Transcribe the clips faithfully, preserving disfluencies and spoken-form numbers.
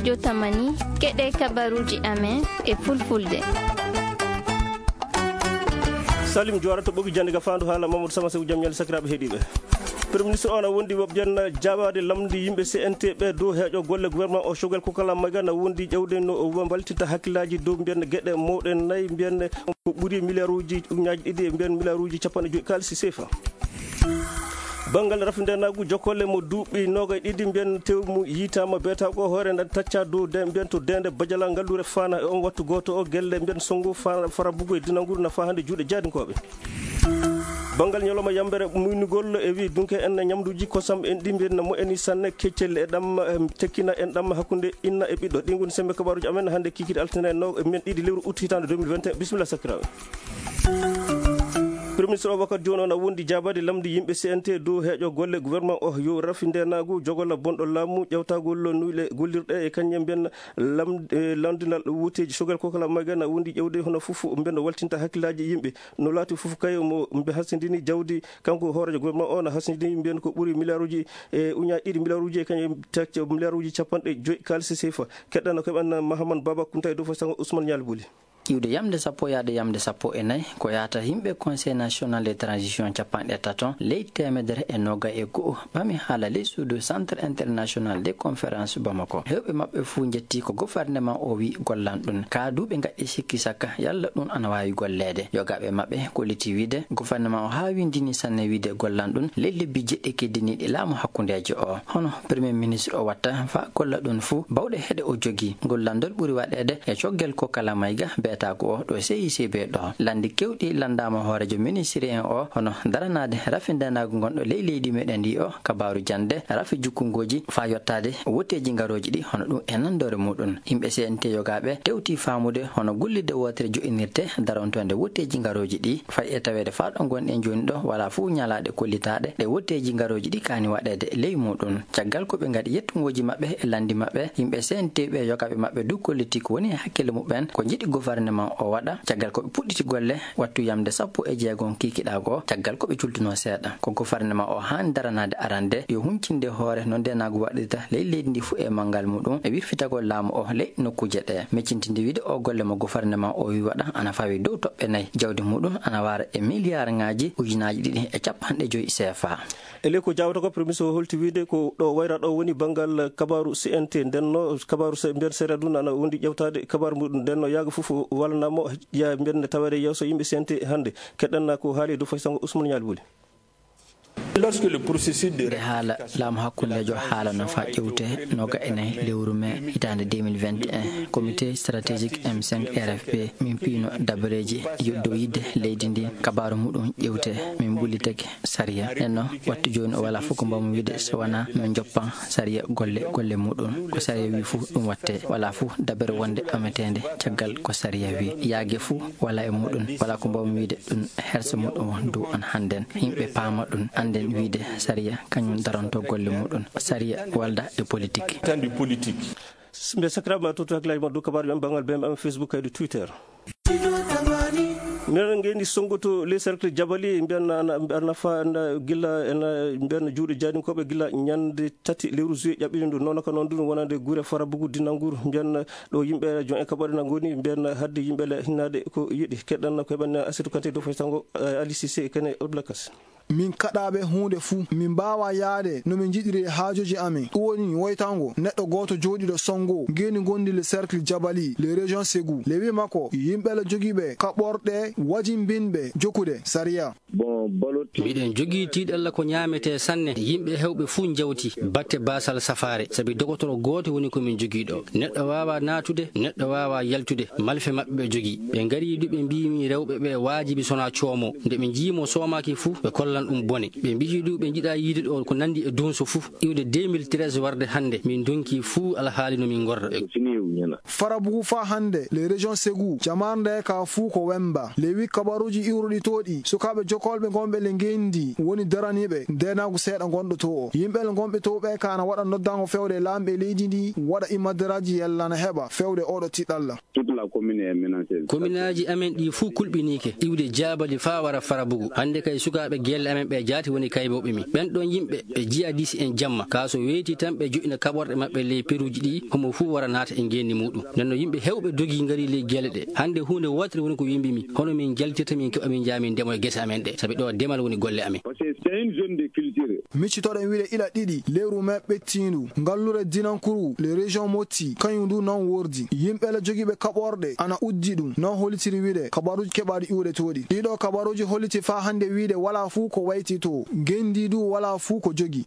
Jotamani, keɗe kabaruuji amen e fulfulde. Salim Joora to ɓogi jannde ga faandu haala Mamadou Sama Sew, jam ñalle sakiraaɓe heɗiiɓe. Premier ministre o na wondi wo mbiyen jaabaade lamndi yimɓe C N T ɓe dow heeƴo golle gouvernement o, Choguel Kokala Maïga na wondi ƴewde no o mbaltinta hakkillaaji dow mbiyen geɗe mawɗe nayi, mbiyen ko ɓuri milliard uji ujunnaaji ɗiɗi e mbiyen milliard uji capanɗe joyi kaalisi sefa. Banngal rafi ndeenaagu jokkole mo duuɓi noogay ɗiɗi mbiyen tew mu yitaama beetaago hoore na tacca dow de mbiyen to deende Bajala ngalluure Faana e on wattu gooto o gelle mbiyen sonngo Faana farabugo e dinanguru na faa hannde juuɗe jaadinkooɓe. Banngal ñalawma yambere muynugol e wi dunke en ñamduuji kosam en ɗi mbiyen na moƴƴani sanne keccel e ɗam, em, tekkina en ɗam hakkunde inna e ɓiɗɗo. Ɗi ngoni sembe kabaaruuji amen hannde kikiiɗe altine no e men ɗiɗi lewru août hitaande deux mille vingt et un. Bisimilla sakiraaɓe. Premier ministre o wakkati jooni o na wondi jaabaade lamndi yimɓe C N T dow heeƴo golle gouvernement o yo rafi ndeenaagu jogola bonɗo laamu ƴewtagol nuyɗe gollirɗe e kañum mbiyen lam-, e lanndinal wooteeji. Choguel Kokala Maïga na wondi ƴewde hono fof mbiyen no waltinta hakkillaaji yimɓe no laati fof kay mo mbe hasindini jawdi kanko hooreejo gouvernement o na hasindini mbiyen ko ɓuri milliard uji e ujunnaaji ɗiɗi milliard uji e kañum tacca milliard uji capanɗe joyi kaalisi sefa. Keɗɗano keɓan Mahamane Baba Kunta e dow fo sango Ousmane Ñaali Buli. Iwde yamde sappo yaade yamde sappo e nayi ko yahata yimɓe Conseil National de Transition capanɗe tato leydi teemedere e noogay e go'o ɓami haala ley suudu Centre International de Conférence Bamako. Heewɓe maɓɓe fuu njetti ko gouvernement o wi gollan ɗum. Kaa du ɓe ngaɗi sikki sakka yalla ɗum ana waawi golleede. Yogaaɓe maɓɓe kolliti wiide gouvernement o haa winndini sanne wiide gollan ɗum ley lebbi jeɗɗi keddiniiɗi laamu hakkundeejo o. Hono Premier ministre o watta faa golla ɗum fuu bawɗe heɗe o jogii. Ngol lanndol ɓuri waɗeede e Choguel Kokala Maïga beetaagu o ɗo C I C B ɗo. Lanndi kewɗi lanndaama hooreejo ministre en o, hono daranaade rafi ndeenaagu ngonɗo ley leydi meɗen ndi o, kabaaru jannde, rafi jukkungooji faa yottaade wooteeji ngarooji ɗi, hono ɗum e nanndoore muɗum. Yimɓe C N T yogaaɓe tewti faamude hono gollirde wootere jo'inirte darontoonde wooteeji ngarooji ɗi, fay e taweede faa ɗo ngonɗen jooni ɗo, walaa fof ñalaaɗe kollitaaɗe ɗe wooteeji ngarooji ɗi kaani waɗeede ley muɗum. Caggal ko ɓe ngaɗi yettungooji maɓɓe e lanndi maɓɓe, yimɓe C N T ɓe yogaaɓe maɓɓe du kollitii ko woni e hakkille muɓɓen, ko njiɗi gouvernement o waɗa. Caggal ko ɓe puɗɗiti golle wattu yamde sappo e jeegom kikiiɗe goo, caggal ko ɓe cultunoo seeɗa. Ko gouvernement o haani daranaade arande, yo huncinde hoore no ndeenaagu waɗirta ley leydi ndi fuu e manngal muɗum, e wirfitagol laamu o ley nokkuuje ɗe. Meccintinde wiide o golle mo gouvernement o wi waɗa ana fawi dow toɓɓe nayi. Jawdi muɗum ana wara e milliard ŋaaji ujunnaaji ɗiɗi e capanɗe joyi C F A. E ley ko jaawata ko, Premier Ministre o holti wiide ko ɗo wayra ɗo woni banngal kabaaru C N T. Ndenno kabaaru se-, mbiyen seeɗa ɗum ana wondi ƴewtaade kabaaru muɗum. Ndenno yaaga fof walanaama ya mbiyen taweede yeeso yimɓe C N T hannde. Keɗɗanna ko haali e dow fay sango Ousmane Ñaali Buli. Lorsque le processus de Nde haala laamu hakkundeejo haala no faa ƴewte noga e nayi lewru mee hitaande deux mille vingt et un, comité stratégique M cinq R F P min piino dabareeji yoddo yidde leydi ndi kabaaru muɗum ƴewte min mbullitake sariya. Nenno wattu jooni o walaa fof ko mbaawmi wiide so wanaa min njoppan sariya golle, golle muɗum. Ko sariya wi fof ɗum watte. Walaa fof dabere wonde ɓameteende caggal ko sariya wi. Yaage fof walaa e muɗum. Walaa ko mbaawmi wiide ɗum hersa muɗum won dow on hannden. Yimɓe paama ɗum, annden wiide sariya kañum daranto golle muɗum. Sariya walda e politique. Tan du politique. Mbe sakiraaɓe ma tutu hakkilaaji ma dow kabaaru men banngal B M M Facebook kaydi Twitter. Minen ngeendi sonngoto les cercles Jabali, mbiyan na, na, na fa, na, gila, na, mbiyan juuɗe jaadinkooɓe gila ñande tati lewru juillet ƴaɓɓiɗen ɗum. Noon ka noon ɗum wonande gure Farabugu Dinangur, mbiyan ɗo yimɓe jon e kaɓɓoɗe na ngoni, mbiyan hadde yimɓe le hinnaade ko yiɗi. Keɗɗan ko heɓan Asetu Kante dow faytango, eh, Ali Cissé kene Abdoulakas. Min kaɗaaɓe huunde fuu, min mbaawaa yahde no min njiɗiri e haajooji amin. Ɗum woni woytango neɗɗo gooto jooɗiiɗo sonngo ngeendi ngondi le cercle Jabali, le région Ségou. Le wi makko, yimɓe la jogiiɓe kaɓorɗe wajimbinɓe jokkude sariya. Bon, balotti. Miɗen jogii tiiɗalla ko ñaametee sanne. Yimɓe heewɓe fuu njawti batte baasal safaare, sabi dogotoro gooto woni ko min jogii ɗo. Neɗɗo waawaa naatude, neɗɗo waawaa yaltude. Malfe maɓɓe ɓe jogii. Ɓe ngarii du ɓe mbii mi rewɓe ɓe waajibi sonaa coomoo. Nde ɓe njii mo soomaaki fuu, ɓe kollan ɗum bone. Ɓe mbii du ɓe njiɗaa yiide ɗo ko nanndi e dunso fuu. Iwde deux mille treize warde hannde, min ndonki fuu alhaali no min ngorra. Farabugu faa hannde, le région Ségou, jamaare nde ka fuu ko wemba. Le wi kabaruuji iwruɗi to ɗi, sukaaɓe jokolɓe ngonɓe le ngenndi woni daraniiɓe ndeenaagu seeɗa ngonɗo to o. Yimɓe le ngonɓe to ɓe ka ana waɗa noddango fewde laamɓe leydi ndi waɗa imadaraaji yalla na heɓa fewde oɗo tiɗalla. Toute la commune est menacée. Kominaaji amen ɗi fuu kulɓiniike, iwde jaabali faa wara Farabugu. Hannde kay sukaaɓe gelle amen ɓe jaati woni kaybooɓe mi. Ɓen ɗon yimɓe ɓe jihadis en jamma. Kaa so weyti tan ɓe joɗɗina kaɓorɗe maɓɓe ley peruuji ɗi, homo fuu wara naata e ngeenndi muuɗum. Nden no yimɓe heewɓe dogii ngarii ley gelle ɗe. Hannde huunde wootere woni ko wembi mi. Hono min njaltirta min keɓa min njaha min ndemo e gese amen ɗe. Sabi ɗo demal woni golle amen. Parce que c'est une zone de culture. Miccitoɗen wiide ila ɗiɗi lewru mee ɓettiindu, ngallure dinankuru le région Motti, kañum du non wordi. Yimɓe le jogiiɓe kaɓorɗe ana uddi ɗum, non hollitiri wiide kabaruuji keɓaaɗi iwde to ɗi. Ɗiɗo kabaruuji holliti faa hannde wiide walaa fuu ko wayti to, ngenndi du walaa fuu ko jogi.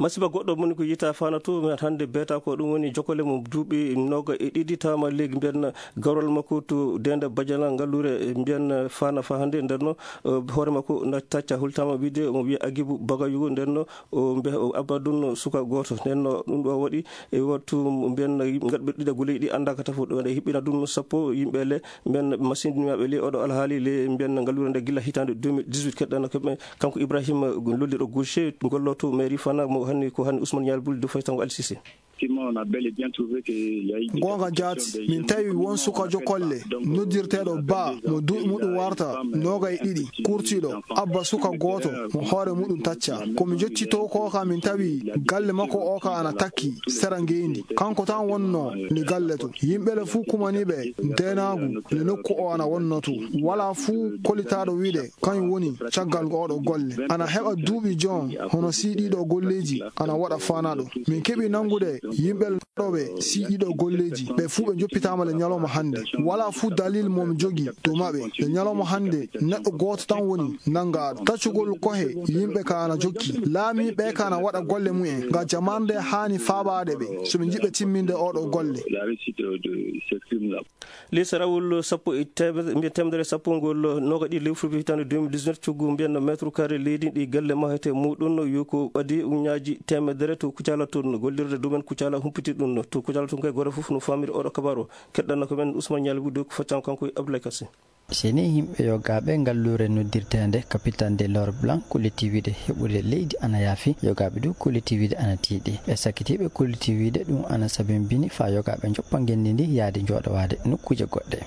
Masiba goɗɗo moni ko yita fana to, mi hannde beeta ko ɗum woni jokkole mum duuɓi noga e ɗiɗi tawama leegi mbiyan garol makko to denda bajana ngallure mbiyan fana fa hannde ndenno, eh, hoore makko na tacca hultama wiide omo wiya Agibu Bagayugo ndenno, o mbe-, o abba ɗum suka gooto. Nden no ɗum ɗo waɗi e wattu mbiyen gaɗɓe ɗiɗa guleyɗi annda ka tafo ɗo, nde hiɓɓina ɗum sappo yimɓe le mbiyen machine maɓɓe le oɗo alhaali le mbiyen ngallure nde gila hitande deux mille dix-huit keɗɗana ko ɓe, kanko Ibrahima lolliɗo gauche golloto mairie fana mo hanni ko hanni Ousmane Nial Boul de Faye Tango Al Cissé. Effectivement, on a bel et bien trouvé que il y a eu des Goonga jaati, min tawi won suka jokolle noddirteeɗo Ba mo duuɓi muɗum warta noga e ɗiɗi, kurtiiɗo, abba suka gooto mo hoore muɗum tacca. Ko mi joccitoo ko ka min tawi galle makko o ka ana takki sera ngeendi. Kanko tan wonnoo le galle to. Yimɓe le fuu kumaniiɓe ndeenaagu le nokku o ana wonnoo to. Walaa fuu kolitaaɗo wiide kañum woni caggal oɗo golle. Ana heɓa duuɓi jon hono siiɗiiɗo golleeji ana waɗa faanaaɗo. Min keɓi nanngude yimɓe ɗoɓe siiɗiiɗo golleeji. Ɓe fuu ɓe njoppitaama le ñalawma hannde. Walaa fuu dalil mo mi jogi to maɓɓe. Le ñalawma hannde neɗɗo gooto tan woni nanngaaɗo. Taccugol kohe yimɓe ka ana jokki. Laamiiɓe ka ana waɗa golle mumen. Nga jamaande haani faabaade ɓe. So ɓe njiɗɓe timminde oɗo golle. Leysarawol sappo e teemedere, mbiyen teemedere sappo ngol noga ɗi lewru fuɓi hitande deux mille dix-neuf, coggu mbiyen mètre carré leydi ɗi galle mahete muɗum yo ko ɓadi uñaaji teemedere to Kucala toon, gollirde domaine Kucala humpiti ɗum. To Kucala toon kay gooto fof no famiri oɗo kabaru o. Keɗɗanno ko men Ousmane Nialy Wudde ko faccan kanko e Abdoulaye Kassé. Seni yimɓe yogaaɓe ngalluure noddirteende Capitaine de l'Or Blanc kollitiiwiiɗe heɓude leydi ana yaafi, yogaaɓe du kollitiiwiiɗe ana tiiɗi. Ɓe sakkitiiɓe kollitiiwiiɗe ɗum ana sabimbini faa yogaaɓe njoppa ngenndi ndi yaade njooɗowaade nokkuuje goɗɗe.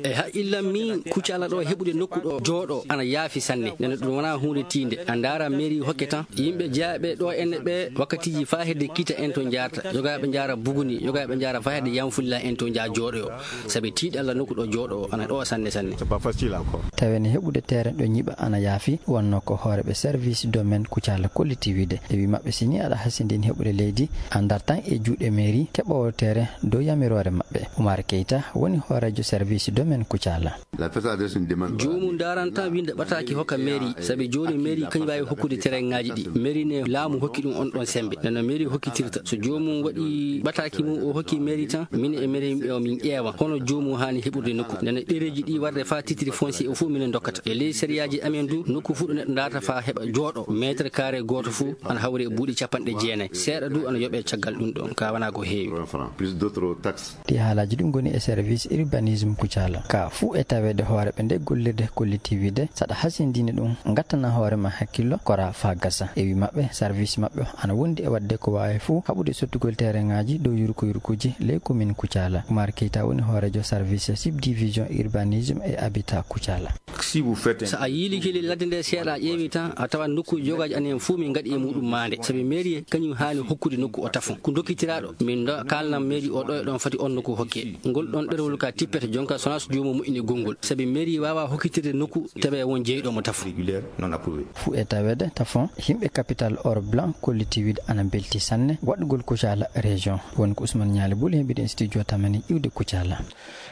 E haqqillam min, Kucala ɗo heɓude nokku ɗo jooɗo ana yaafi sanne. Nene ɗum wonaa huunde tiinde. A ndaara mairie hokke tan. Yimɓe jeyaaɓe ɗo enne ɓe wakkatiiji faa hedde kiita en to njaarta. Yogaaɓe njaara Buguni, yogaaɓe njaara faa hedde Yanfulla en to njaa jooɗoyo. Sabi tiiɗalla nokku ɗo jooɗo ana ɗo sanne sanne. C'est pas facile encore. Tawi ne heɓude terrain ɗo ñiɓa ana yaafi, wonno ko hooreɓe service domaine Kucala kollitiiwiiɗe. E wi maɓɓe sini aɗa hasindini heɓude leydi, a dartan e juuɗe mairie keɓoowo terrain dow yamiroore maɓɓe. Oumar Keita woni hooreejo service domaine Kucala. La personne adresse une demande. Joomum ndaran tan winnda ɓataaki hokka mairie, sabi jooni mairie kañum waawi hokkude terrainŋaaji ɗi. Mairie ne laamu hokki ɗum on ɗon semmbe. Nana mairie hokkitirta. So joomum waɗi ɓataaki mum o hokki mairie tan, min e mairie o min ƴeewa. Hono joomum haani heɓude nokku. Nana ɗereeji ɗi warde faa titre foncier o fof minen ndokkata. E ley sariyaaji amen du, nokku fof ɗo neɗɗo ndaarta faa heɓa jooɗo, mètre carré gooto fof ana hawri e buuɗi capanɗe jeenayi. Seeɗa du ana yoɓee caggal ɗum ɗon, ka wanaa ko heewi. Plus d'autres taxes. Ɗi haalaaji ɗum ngoni e service urbanisme Kucala. Ka fuu e taweede hooreɓe nde gollirde kollitiiwiiɗe, saɗa hasindini ɗum, ngattana hoore ma hakkillo, kora faa gasa. E wi maɓɓe, service maɓɓe o ana wondi e waɗde ko waawi fuu haɓude sottugol terrainŋaaji dow yurko yurkuuji ley commune Kucala. Oumar Keita woni hooreejo service subdivision urbanisme et habitat Kucala. Si vous faites un So a yiilike ley ladde nde seeɗa a ƴeewi tan, a tawat nokkuuji yogaaji amen fuu min ngaɗi e muɗum maande. Sabi mairie kañum haani hokkude nokku o tafon. Ko dokkitiraaɗo, min do-, kaalnan mairie o ɗo e ɗon foti on nokku hokke. Ngol ɗon ɗerewol ka tippete jonka so wonaa so joomum moƴƴini gonngol. Sabi mairie waawaa hokkitirde nokku tawi won jeyɗo mo tafon. Régulière non approuvée. Fuu e taweede tafon, yimɓe capital or blanc kollitiiwiiɗe ana mbelti sanne waɗugol Kucala région. Woni ko Ousmane Nialy Boul heɓiɗen studio Tamani iwde Kucala.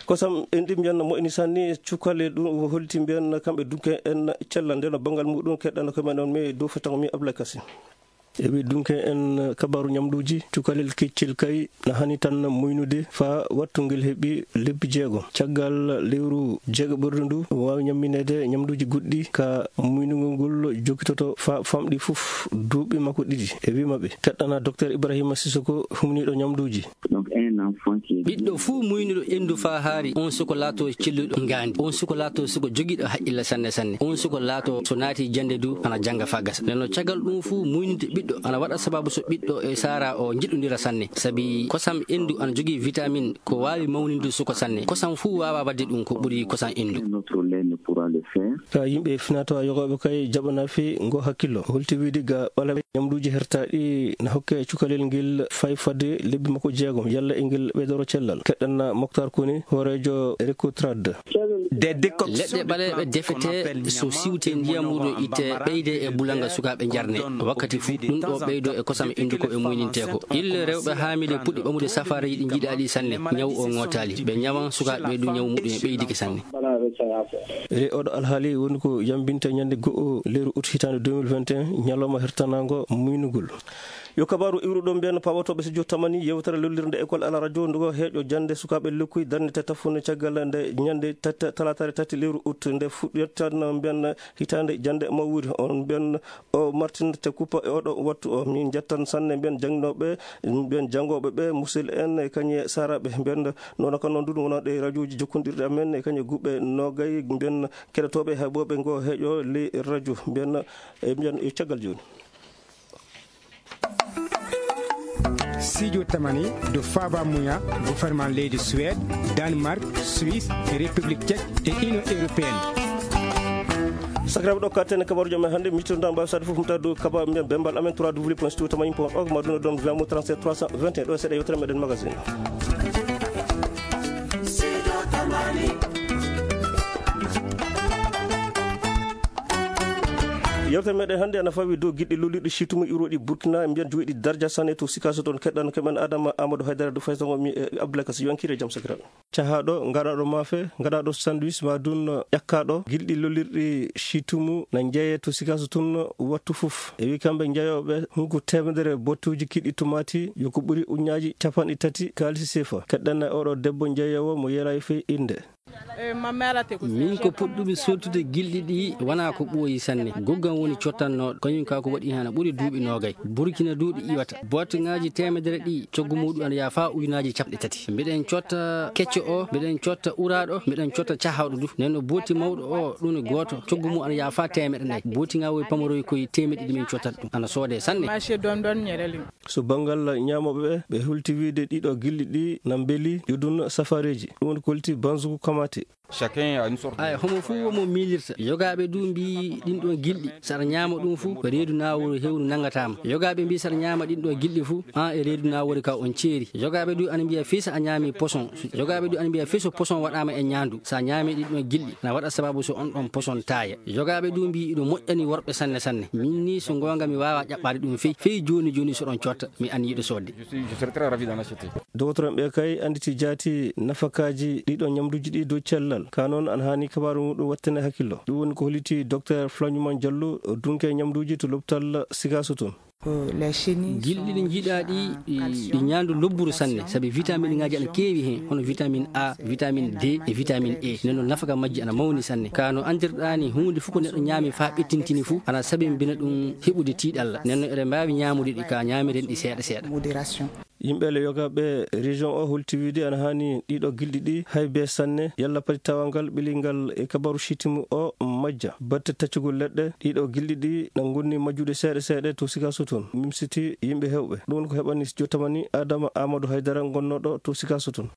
Kosam en ɗi mbiyan moƴƴini sanne, cukalel ɗum holliti mbiyan kamɓe dunke en cella nde no banngal muɗum keɗɗano ko men on mi dow fetango mi Abdoulaye Kassé. E wi dunke en kabaru ñamduuji, cukalel keccel kay na hani tan muynude faa wattu ngel heɓi lebbi jeego. Caggal lewru jeegaɓerde ndu, waawi ñammineede ñamduuji goɗɗi ka muynugol ngol jokkitoto faa famɗi fof duuɓi makko ɗiɗi. E wi maɓɓe, keɗɗana Docteur Ibrahima Sissoko, humniiɗo ñamduuji. Ɓiɗɗo fuu muynuɗo enndu faa haari, on suko laato celluɗo ngaandi. On suko laato suko jogiiɗo haqqille sanne sanne. On suko laato so naati jannde du, ana jannga faa gasa. Nden no caggal ɗum fuu, muynude ɓiɗɗo ana waɗa sababu so ɓiɗɗo e saara o njiɗondira sanne. Sabi kosam enndu ana jogii vitamin ko waawi mawninde suko sanne. Kosam fuu waawaa waɗde ɗum ko ɓuri kosam enndu. Ka yimɓe finaa-tawaa yogaaɓe kay jaɓanaa fii ngoo hakkillo. Holti wiide ga ɓaleeɓe ñamduuji hertaaɗi na hokke cukalel ngel fay fadde lebbi makko jeegom, yalla e ngel ɓeydoro cellal. Keɗɗen Moktar Koni, hooreejo Recotrade. Leɗɗe ɓaleeɓe defete, so siwte ndiyam muuɗum itte, ɓeyde e bulanga sukaaɓe njarne. Wakkati fuu, ɗum ɗo ɓeydo e kosam enndu ko ɓe muynintee ko. Ille rewɓe haamii de puɗɗi ɓamude safaareeji ɗi njiɗaa ɗi sanne, ñaw o ŋootaali. Ɓe ñawan sukaaɓe ɓe du ñaw muɗum e ɓeydike sanne. E oɗo alhaali woni ko yambinte ñande go'o lewru ut hitaande deux mille vingt et un, ñalawma hertanaango muynugol. Yo kabaaru iwruɗo mbiyen pawotooɓe studio Tamani, yewtere lollirnde école ala radio ndugo heeƴo jannde sukaaɓe lekkuy darnete taffunde caggal nde ñande tati, talaataare tati lewru ut nde fuɗɗirtan mbiyen hitaande jannde mawwuri on mbiyen o martinte kuppa e oɗo wattu o. Min njettan sanne mbiyen jangnooɓe, mbiyen janngooɓe ɓe, musidɓe en e kañe saaraaɓe mbiyen noon kan noon ɗum wonande e radiooji jokkondirɗi amen e kañe guɓe noogay mbiyen keɗotooɓe heɓooɓe ngo heeƴo ley radio mbiyen e mbiyen e caggal jooni. Studio Tamani do faaba muya gouvernement leydi Suède, Danemark, Suisse, République Tchèque et Union Européenne. Sakiraaɓe, ɗo katten e kabaaruuji amen hannde, miccitoɗen mbaawi saɗde fof, humta dow kabaaru mbiyen bembal amen trois W point studio tamani point org, ma ɗum ɗon via mo trente-sept trois cent vingt et un, ɗo e seeɗa yewtere meɗen magazine. Yewtere meɗen hannde ana fawi dow giɗɗi lollirɗi situmu iwroɗi Burkina, mbiyen jogiiɗi darja sanne to Sikaso toon. Keɗɗan ko men Adama Amadou Haydara du Faysango mi e Abdoulaye Kassi. Yo en kiire jam sakiraaɓe. Cahaaɗo, ngaɗaaɗo maafe, ngaɗaaɗo sandwich, ma dun ƴakkaaɗo, gilɗi lollirɗi situmu na njeeyee to Sikaso tun wattu fof. E wi kamɓe njeeyooɓe hunko teemedere bottuuji kiɗɗi tumaati, yo ko ɓuri ujunnaaji capanɗe tati kaalisi seefa. Keɗɗen e oɗo debbo njeeyoowo mo yeelaayi fey innde. Min ko puɗɗumi sottude gilɗi ɗi wonaa ko ɓooyi sanne. Goggam woni cottannooɗo, kañum ka ko waɗi hana ɓuri duuɓi noogay. Burkina du ɗi iwata. Bootŋaaji teemedere ɗi, coggu muuɗum ana yaha faa ujunnaaji capanɗe tati. Mbiɗen cotta kecco o, mbiɗen cotta uraaɗo, mbiɗen cotta cahawɗo du. Nden no booti mawɗo o, ɗum ne gooto, coggu mum ana yaha faa teemeɗe nayi. Booti ŋaa woy pamaroy koye teemeɗe ɗiɗi min cottata ɗum. Ana soodee sanne. So banngal ñaamooɓe ɓe, ɓe hulti wiide ɗiɗo gilɗi ɗi na mbeli, yo dun safaareeji. Ɗum woni ko holti Banzugu Kamate. Ay, homo fuu wo mo miilirta. Yogaaɓe du mbii ɗin ɗon gilɗi, so aɗa ñaama ɗum fuu, ko reedu naawori hewru nanngataa ma. Yogaaɓe mbii so aɗa ñaama ɗin ɗon gilɗi fuu, an e reedu naawori ka on ceeri. Yogaaɓe du ana mbiya fii so a ñaami poson. Yogaaɓe du ana mbiya fii so poson waɗaama e ñaandu, so a ñaami ɗin ɗon gilɗi, na waɗa sababu so on ɗon poson taaya. Yogaaɓe du mbii iɗo moƴƴani worɓe sanne sanne. Min ni so ngoonga mi waawaa ƴaɓɓaade ɗum fey. Fey jooni jooni so ɗon cotta, mi anniyiɗo soodde. Doktor en ɓe kay annditi jaati nafakaaji ɗiɗo ñamduuji ɗi dow cellal. Ka noon ana haani kabaaru muɗum wattane hakkillo. Ɗum woni ko holliti Doktor Flañuman Jallo, dunke ñamduuji to lopital Sikaso toon. Gilɗi ɗi njiɗaa ɗi, ɗi ñaandu lobburu sanne, sabi vitamin ŋaaji ana keewi heen, hono vitamin A, vitamin D e vitamin E. Nden noon nafaka majji ana mawni sanne. Ka no anndirɗaa ni, huunde fof ko neɗɗo ñaami faa ɓettintini fof, ana sabimbina ɗum heɓude tiiɗalla. Nden noon eɗen mbaawi ñaamude ɗi ka ñaamiren ɗi seeɗa seeɗa. Yimɓe le yogaaɓe région o holti wiide ana haani ɗiɗo gilɗi ɗi hay bee sanne, yalla pati tawangal ɓilingal e kabaaru sitimu o majja. Batte taccugol leɗɗe, ɗiɗo gilɗi ɗi na ngonni majjude seeɗa seeɗa to Sikaso toon. Mimsiti yimɓe heewɓe. Ɗum woni ko heɓani studio Tamani Adama Amadou Haydara gonnooɗo to Sikaso toon.